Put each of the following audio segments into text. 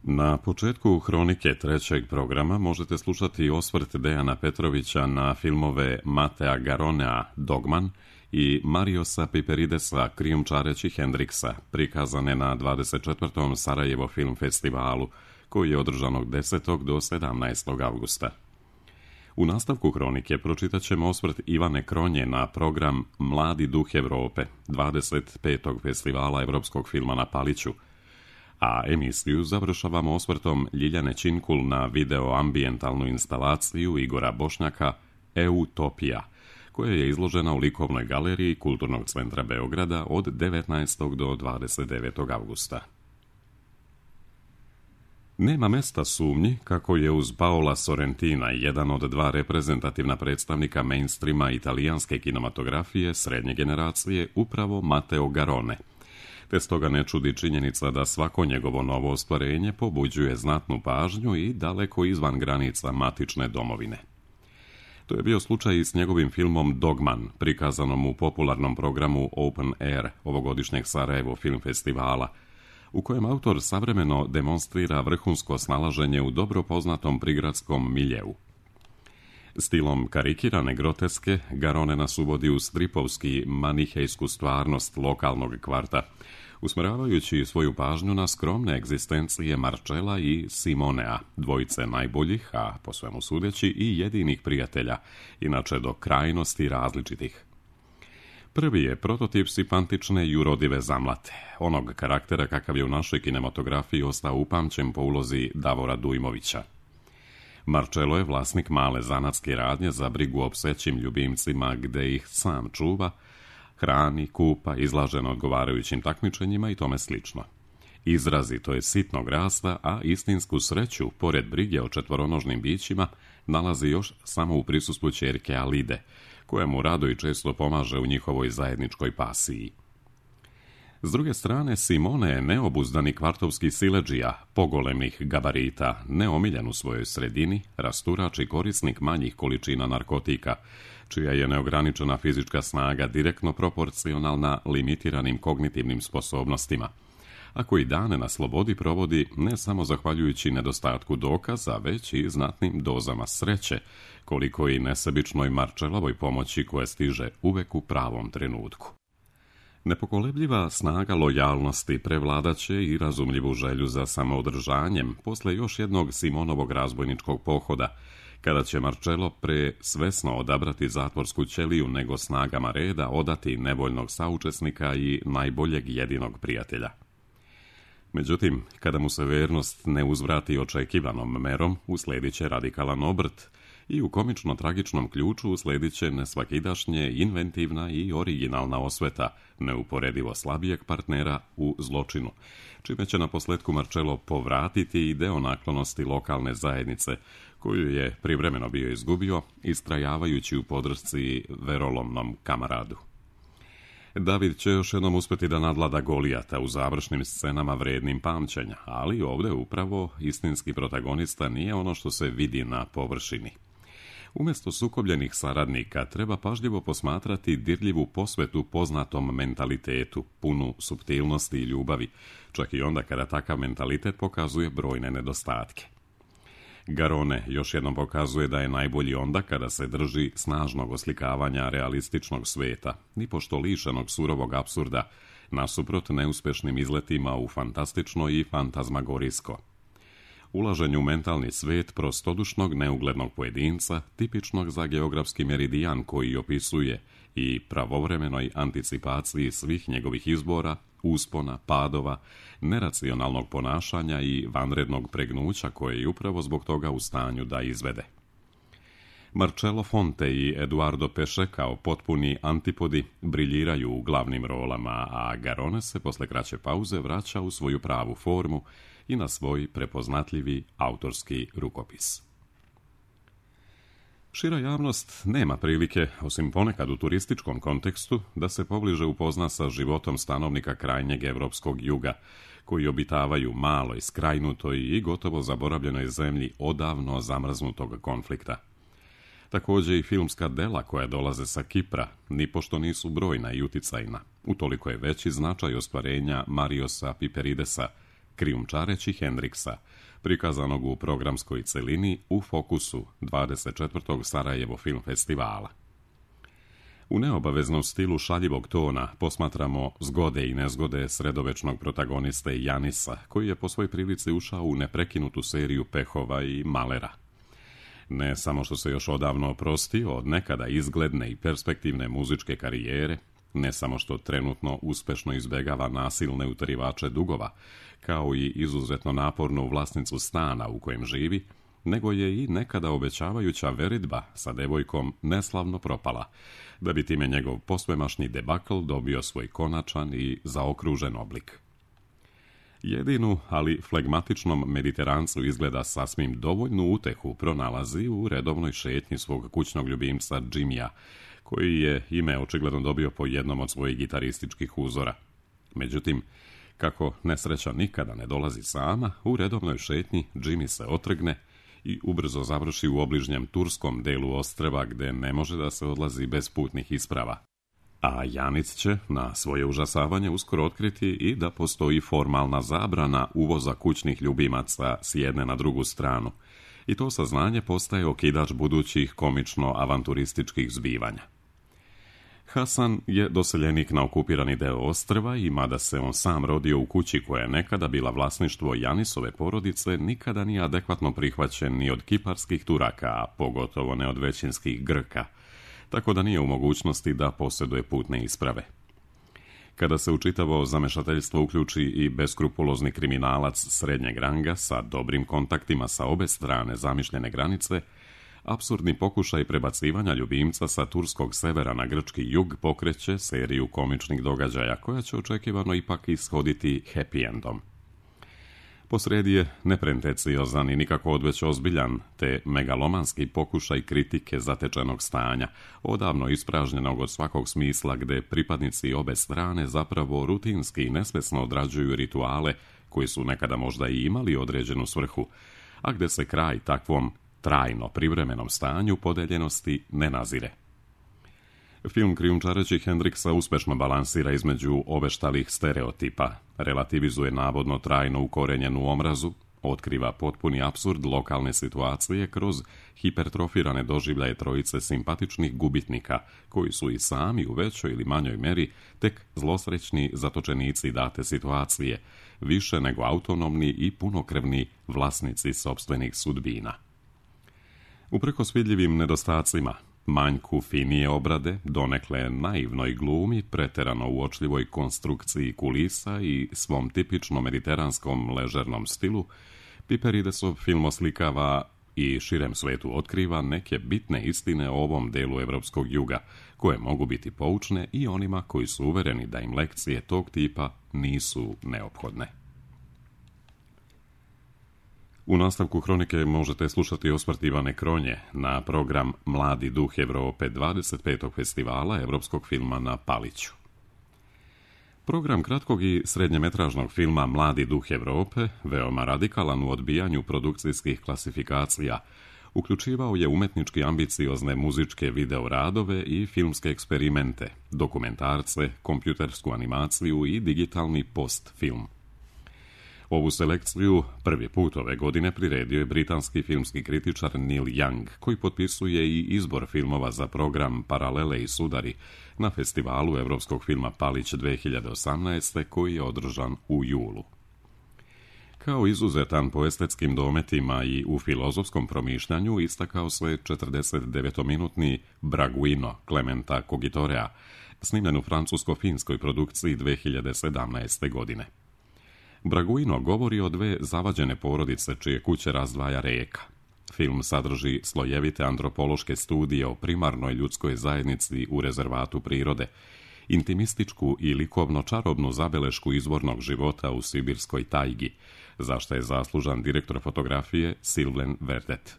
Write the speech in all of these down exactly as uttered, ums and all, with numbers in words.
Na početku hronike trećeg programa možete slušati osvrt Dejana Petrovića na filmove Matea Garonea Dogman i Mariosa Piperidesa Krijumčareći Hendriksa, prikazane na dvadeset četvrtom Sarajevo film festivalu, koji je održan od desetog do sedamnaestog avgusta. U nastavku hronike pročitat ćemo osvrt Ivane Kronje na program Mladi duh Evrope, dvadeset petog festivala evropskog filma na Paliću, a emisiju završavamo osvrtom Ljiljane Činkul na video-ambijentalnu instalaciju Igora Bošnjaka Eutopija, koja je izložena u likovnoj galeriji Kulturnog centra Beograda od devetnaestog do dvadeset devetog avgusta. Nema mesta sumnji kako je uz Paola Sorrentina jedan od dva reprezentativna predstavnika mainstreama italijanske kinematografije srednje generacije upravo Matteo Garrone, te stoga ne čudi činjenica da svako njegovo novo ostvarenje pobuđuje znatnu pažnju i daleko izvan granica matične domovine. To je bio slučaj i s njegovim filmom Dogman, prikazanom u popularnom programu Open Air ovogodišnjeg Sarajevo film festivala, u kojem autor savremeno demonstrira vrhunsko snalaženje u dobro poznatom prigradskom miljeu. Stilom karikirane groteske, Garrone nas uvodi u stripovski manihejsku stvarnost lokalnog kvarta, usmeravajući svoju pažnju na skromne egzistencije Marcella i Simonea, dvojice najboljih, a po svemu sudeći i jedinih prijatelja, inače do krajnosti različitih. Prvi je prototip sipantične i urodive zamlate, onog karaktera kakav je u našoj kinematografiji ostao upamćen po ulozi Davora Dujmovića. Marcello je vlasnik male zanatske radnje za brigu o psećim ljubimcima, gde ih sam čuva, hrani, kupa, izlaže na odgovarajućim takmičenjima i tome slično. Izrazito je sitnog rasta, a istinsku sreću, pored brige o četvoronožnim bićima, nalazi još samo u prisustvu ćerke Alide, koja mu rado i često pomaže u njihovoj zajedničkoj pasiji. S druge strane, Simone je neobuzdani kvartovski siledžija, pogolemnih gabarita, neomiljen u svojoj sredini, rasturač i korisnik manjih količina narkotika, čija je neograničena fizička snaga direktno proporcionalna limitiranim kognitivnim sposobnostima, a koji dane na slobodi provodi ne samo zahvaljujući nedostatku dokaza, već i znatnim dozama sreće, koliko i nesebičnoj Marcellovoj pomoći koja stiže uvek u pravom trenutku. Nepokolebljiva snaga lojalnosti prevladaće i razumljivu želju za samoodržanjem posle još jednog Simonovog razbojničkog pohoda, kada će Marcello pre svesno odabrati zatvorsku ćeliju nego snagama reda odati nevoljnog saučesnika i najboljeg jedinog prijatelja. Međutim, kada mu se vernost ne uzvrati očekivanom merom, usledit će radikalan obrt i u komično-tragičnom ključu usledit će nesvakidašnje, inventivna i originalna osveta neuporedivo slabijeg partnera u zločinu, čime će na posledku Marcello povratiti i deo naklonosti lokalne zajednice, koju je privremeno bio izgubio, istrajavajući u podršci verolomnom kamaradu. David će još jednom uspeti da nadlada Golijata u završnim scenama vrednim pamćenja, ali ovde upravo istinski protagonista nije ono što se vidi na površini. Umesto sukobljenih saradnika treba pažljivo posmatrati dirljivu posvetu poznatom mentalitetu, punu suptilnosti i ljubavi, čak i onda kada takav mentalitet pokazuje brojne nedostatke. Garrone još jednom pokazuje da je najbolji onda kada se drži snažnog oslikavanja realističnog sveta, nipošto lišenog surovog apsurda, nasuprot neuspešnim izletima u fantastično i fantazmagorijsko. Ulaženju u mentalni svet prostodušnog neuglednog pojedinca, tipičnog za geografski meridijan koji opisuje i pravovremenoj anticipaciji svih njegovih izbora, uspona, padova, neracionalnog ponašanja i vanrednog pregnuća koje je upravo zbog toga u stanju da izvede. Marcello Fonte i Eduardo Pesce kao potpuni antipodi briljiraju u glavnim rolama, a Garrone se posle kraće pauze vraća u svoju pravu formu i na svoj prepoznatljivi autorski rukopis. Šira javnost nema prilike, osim ponekad u turističkom kontekstu, da se pobliže upozna sa životom stanovnika krajnjeg evropskog juga, koji obitavaju maloj, skrajnutoj i gotovo zaboravljenoj zemlji odavno zamrznutog konflikta. Takođe i filmska dela koja dolaze sa Kipra, nipošto nisu brojna i uticajna, utoliko je veći značaj ostvarenja Mariosa Piperidesa, krijumčareći Hendriksa, prikazanog u programskoj celini u Fokusu dvadeset četvrtog Sarajevo film festivala. U neobaveznom stilu šaljivog tona posmatramo zgode i nezgode sredovečnog protagoniste Janisa, koji je po svoj prilici ušao u neprekinutu seriju pehova i malera. Ne samo što se još odavno oprostio od nekada izgledne i perspektivne muzičke karijere, ne samo što trenutno uspešno izbegava nasilne utjerivače dugova, kao i izuzetno napornu vlasnicu stana u kojem živi, nego je i nekada obećavajuća veridba sa devojkom neslavno propala, da bi time njegov posvemašnji debakl dobio svoj konačan i zaokružen oblik. Jedinu, ali flegmatičnom Mediterancu izgleda sasvim dovoljnu utehu pronalazi u redovnoj šetnji svog kućnog ljubimca Jimmya, koji je ime očigledno dobio po jednom od svojih gitarističkih uzora. Međutim, kako nesreća nikada ne dolazi sama, u redovnoj šetnji Jimmy se otrgne i ubrzo završi u obližnjem turskom delu ostrva gde ne može da se odlazi bez putnih isprava. A Janic će, na svoje užasavanje, uskoro otkriti i da postoji formalna zabrana uvoza kućnih ljubimaca s jedne na drugu stranu. I to saznanje postaje okidač budućih komično-avanturističkih zbivanja. Hasan je doseljenik na okupirani deo ostrva i mada se on sam rodio u kući koja je nekada bila vlasništvo Janisove porodice, nikada nije adekvatno prihvaćen ni od kiparskih Turaka, a pogotovo ne od većinskih Grka, tako da nije u mogućnosti da posjeduje putne isprave. Kada se u čitavo zamešateljstvo uključi i beskrupulozni kriminalac srednjeg ranga sa dobrim kontaktima sa obe strane zamišljene granice, apsurdni pokušaj prebacivanja ljubimca sa turskog severa na grčki jug pokreće seriju komičnih događaja koja će očekivano ipak ishoditi happy endom. Posrijedi je nepretenciozan i nikako odveć ozbiljan, te megalomanski pokušaj kritike zatečenog stanja, odavno ispražnjenog od svakog smisla gde pripadnici obe strane zapravo rutinski i nesvesno odrađuju rituale koji su nekada možda i imali određenu svrhu, a gde se kraj takvom trajno privremenom stanju podeljenosti ne nazire. Film krijumčareći Hendriksa uspešno balansira između obeštalih stereotipa, relativizuje navodno trajno ukorenjenu omrazu, otkriva potpuni apsurd lokalne situacije kroz hipertrofirane doživljaje trojice simpatičnih gubitnika, koji su i sami u većoj ili manjoj meri tek zlosrećni zatočenici date situacije, više nego autonomni i punokrvni vlasnici sopstvenih sudbina. Uprkos vidljivim nedostacima, manjku finije obrade, donekle naivnoj glumi, preterano uočljivoj konstrukciji kulisa i svom tipično mediteranskom ležernom stilu, Piperidesov film oslikava i širem svetu otkriva neke bitne istine o ovom delu evropskog juga, koje mogu biti poučne i onima koji su uvereni da im lekcije tog tipa nisu neophodne. U nastavku hronike možete slušati osvrt Ivane Kronje na program Mladi duh Evrope dvadeset petog festivala evropskog filma na Paliću. Program kratkog i srednjemetražnog filma Mladi duh Evrope, veoma radikalan u odbijanju produkcijskih klasifikacija, uključivao je umetnički ambiciozne muzičke videoradove i filmske eksperimente, dokumentarce, kompjutersku animaciju i digitalni postfilm. Ovu selekciju prvi put ove godine priredio je britanski filmski kritičar Neil Young, koji potpisuje i izbor filmova za program Paralele i sudari na festivalu evropskog filma Palić dve hiljade osamnaeste. koji je održan u julu. Kao izuzetan po estetskim dometima i u filozofskom promišljanju istakao se četrdesetdevetminutni Braguino Clementa Cogitorea, snimljen u francusko-finskoj produkciji dve hiljade sedamnaeste. godine. Braguino govori o dve zavađene porodice čije kuće razdvaja reka. Film sadrži slojevite antropološke studije o primarnoj ljudskoj zajednici u rezervatu prirode, intimističku i likovno-čarobnu zabelešku izvornog života u sibirskoj tajgi, za što je zaslužan direktor fotografije Sylvain Verdet.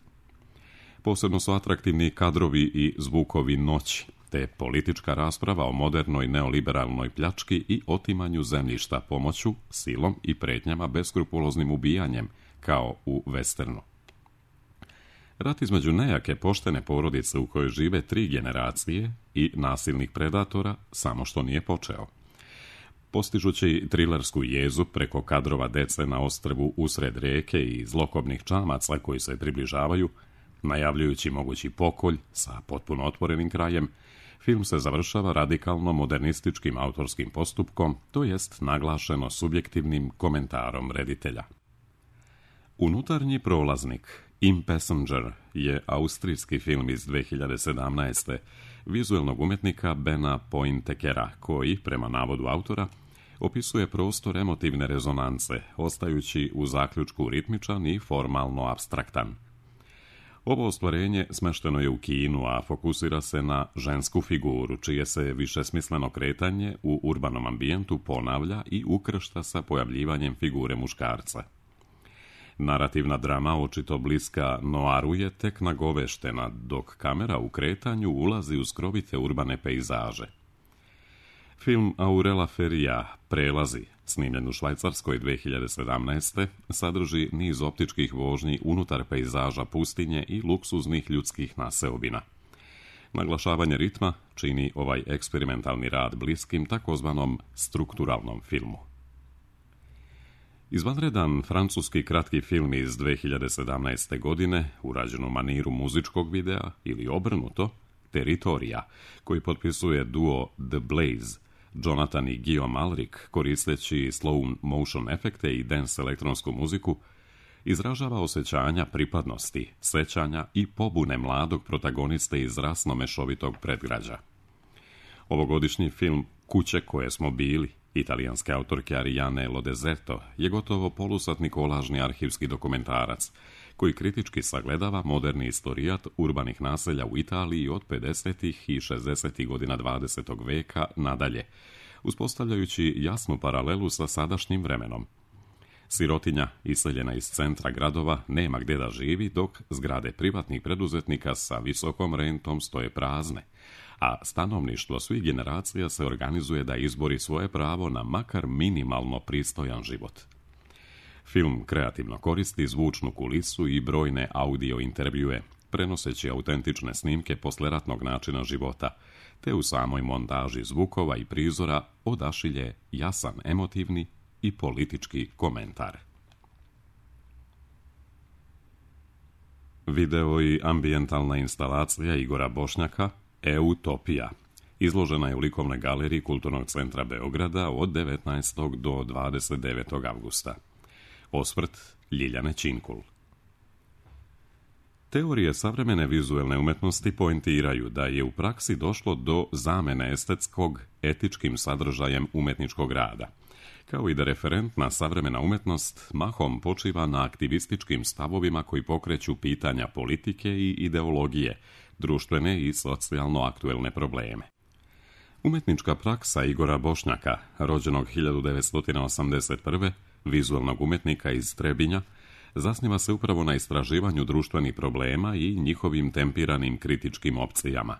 Posebno su atraktivni kadrovi i zvukovi noći, te politička rasprava o modernoj neoliberalnoj pljački i otimanju zemljišta pomoću, silom i pretnjama beskrupuloznim ubijanjem, kao u westernu. Rat između nejake poštene porodice u kojoj žive tri generacije i nasilnih predatora samo što nije počeo. Postižući trilersku jezu preko kadrova dece na ostrvu usred rijeke i zlokobnih čamaca koji se približavaju, najavljujući mogući pokolj sa potpuno otvorenim krajem, film se završava radikalno modernističkim autorskim postupkom, to jest naglašeno subjektivnim komentarom reditelja. Unutarnji prolaznik, In Passenger, je austrijski film iz dve hiljade sedamnaeste. vizuelnog umjetnika Bena Pointekera, koji, prema navodu autora, opisuje prostor emotivne rezonance, ostajući u zaključku ritmičan i formalno apstraktan. Ovo ostvarenje smešteno je u kinu, a fokusira se na žensku figuru, čije se višesmisleno kretanje u urbanom ambijentu ponavlja i ukršta sa pojavljivanjem figure muškarca. Narativna drama, očito bliska noaru, je tek nagoveštena, dok kamera u kretanju ulazi u skrovite urbane pejzaže. Film Aurela Feria, Prelazi, snimljen u Švajcarskoj dve hiljade sedamnaeste. sadrži niz optičkih vožnji unutar pejzaža pustinje i luksuznih ljudskih naseobina. Naglašavanje ritma čini ovaj eksperimentalni rad bliskim takozvanom strukturalnom filmu. Izvanredan francuski kratki film iz dve hiljade sedamnaeste. godine, urađen u maniru muzičkog videa ili obrnuto, Teritorija, koji potpisuje duo The Blaze, Jonathan i Guillaume Alric, koristeći slow motion efekte i dance elektronsku muziku, izražava osjećanja pripadnosti, sećanja i pobune mladog protagoniste iz rasno mešovitog predgrađa. Ovogodišnji film Kuće koje smo bili, italijanske autorke Ariane Lodezeto, je gotovo polusatni kolažni arhivski dokumentarac, koji kritički sagledava moderni istorijat urbanih naselja u Italiji od pedesetih i šezdesetih godina dvadesetog veka nadalje, uspostavljajući jasnu paralelu sa sadašnjim vremenom. Sirotinja, iseljena iz centra gradova, nema gdje da živi, dok zgrade privatnih preduzetnika sa visokom rentom stoje prazne, a stanovništvo svih generacija se organizuje da izbori svoje pravo na makar minimalno pristojan život. Film kreativno koristi zvučnu kulisu i brojne audio intervjue, prenoseći autentične snimke posleratnog načina života, te u samoj montaži zvukova i prizora odašilje jasan emotivni i politički komentar. Video i ambijentalna instalacija Igora Bošnjaka Eutopija izložena je u likovnoj galeriji Kulturnog centra Beograda od devetnaestog do dvadeset devetog avgusta. Osvrt Ljiljane Činkul. Teorije savremene vizuelne umetnosti poentiraju da je u praksi došlo do zamene estetskog etičkim sadržajem umetničkog rada, kao i da referentna savremena umetnost mahom počiva na aktivističkim stavovima koji pokreću pitanja politike i ideologije, društvene i socijalno aktuelne probleme. Umetnička praksa Igora Bošnjaka, rođenog hiljadu devetsto osamdeset prve. vizualnog umetnika iz Trebinja, zasniva se upravo na istraživanju društvenih problema i njihovim tempiranim kritičkim opcijama.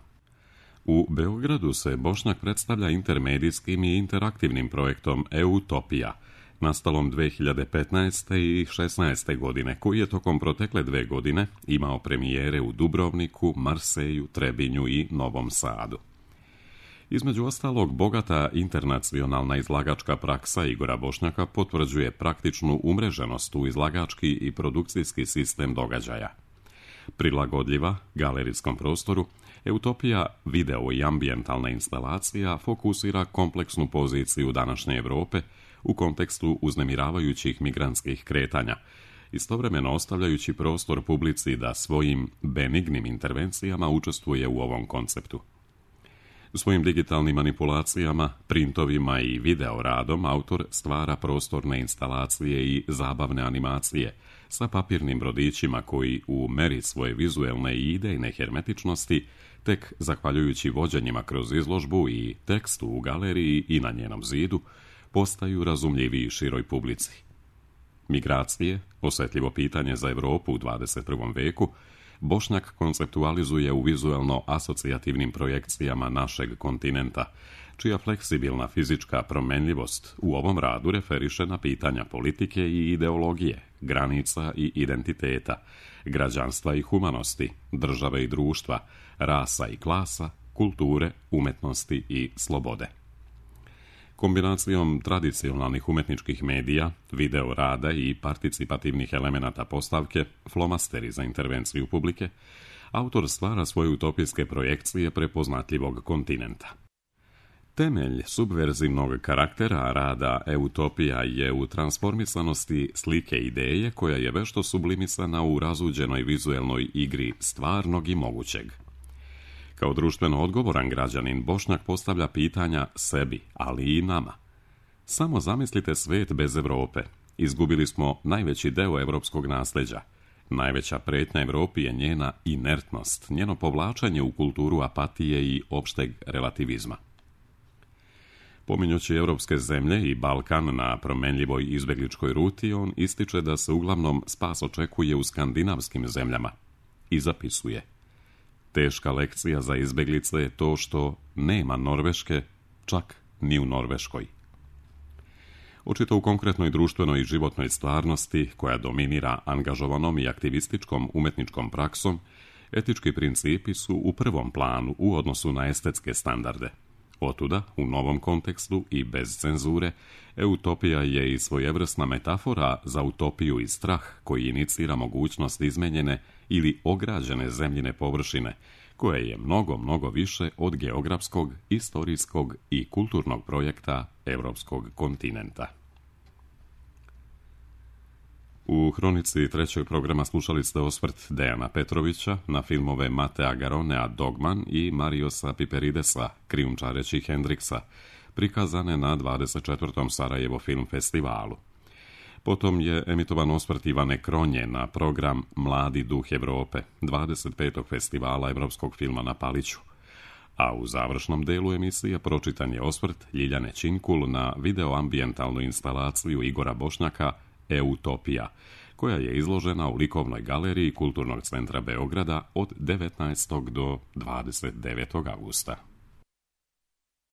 U Beogradu se Bošnjak predstavlja intermedijskim i interaktivnim projektom Eutopija, nastalom dve hiljade petnaeste. i šesnaeste. godine, koji je tokom protekle dve godine imao premijere u Dubrovniku, Marseju, Trebinju i Novom Sadu. Između ostalog, bogata internacionalna izlagačka praksa Igora Bošnjaka potvrđuje praktičnu umreženost u izlagački i produkcijski sistem događaja. Prilagodljiva galerijskom prostoru, Eutopija, video i ambijentalna instalacija fokusira kompleksnu poziciju današnje Europe u kontekstu uznemiravajućih migrantskih kretanja, istovremeno ostavljajući prostor publici da svojim benignim intervencijama učestvuje u ovom konceptu. Svojim digitalnim manipulacijama, printovima i video radom autor stvara prostorne instalacije i zabavne animacije sa papirnim brodićima koji u meri svoje vizuelne i idejne hermetičnosti, tek zahvaljujući vođenjima kroz izložbu i tekstu u galeriji i na njenom zidu, postaju razumljiviji široj publici. Migracije, osjetljivo pitanje za Europu u dvadeset prvom veku, Bošnjak konceptualizuje u vizuelno asocijativnim projekcijama našeg kontinenta, čija fleksibilna fizička promenljivost u ovom radu referiše na pitanja politike i ideologije, granica i identiteta, građanstva i humanosti, države i društva, rasa i klasa, kulture, umetnosti i slobode. Kombinacijom tradicionalnih umetničkih medija, video rada i participativnih elemenata postavke, flomasteri za intervenciju publike, autor stvara svoje utopijske projekcije prepoznatljivog kontinenta. Temelj subverzivnog karaktera rada Eutopija je u transformisanosti slike ideje koja je vešto sublimisana u razuđenoj vizuelnoj igri stvarnog i mogućeg. Kao društveno odgovoran građanin, Bošnjak postavlja pitanja sebi, ali i nama. Samo zamislite svet bez Evrope. Izgubili smo najveći deo evropskog nasljeđa. Najveća pretnja Evropi je njena inertnost, njeno povlačenje u kulturu apatije i opšteg relativizma. Pominjući evropske zemlje i Balkan na promenljivoj izbegličkoj ruti, on ističe da se uglavnom spas očekuje u skandinavskim zemljama i zapisuje: teška lekcija za izbeglice je to što nema Norveške, čak ni u Norveškoj. Očito u konkretnoj društvenoj i životnoj stvarnosti, koja dominira angažovanom i aktivističkom umetničkom praksom, etički principi su u prvom planu u odnosu na estetske standarde. Otuda, u novom kontekstu i bez cenzure, Eutopija je i svojevrsna metafora za utopiju i strah koji inicira mogućnost izmenjene ili ograđene zemljine površine, koja je mnogo, mnogo više od geografskog, istorijskog i kulturnog projekta evropskog kontinenta. U hronici trećeg programa slušali ste osvrt Dejana Petrovića na filmove Matea Garonea Dogman i Mariosa Piperidesa, krijumčareći Hendriksa, prikazane na dvadeset četvrtom Sarajevo film festivalu. Potom je emitovan osvrt Ivane Kronje na program Mladi duh Evrope, dvadeset petog festivala evropskog filma na Paliću. A u završnom delu emisije pročitan je osvrt Ljiljane Činkul na videoambijentalnu instalaciju Igora Bošnjaka Eutopija, koja je izložena u likovnoj galeriji Kulturnog centra Beograda od devetnaestog do dvadeset devetog avgusta.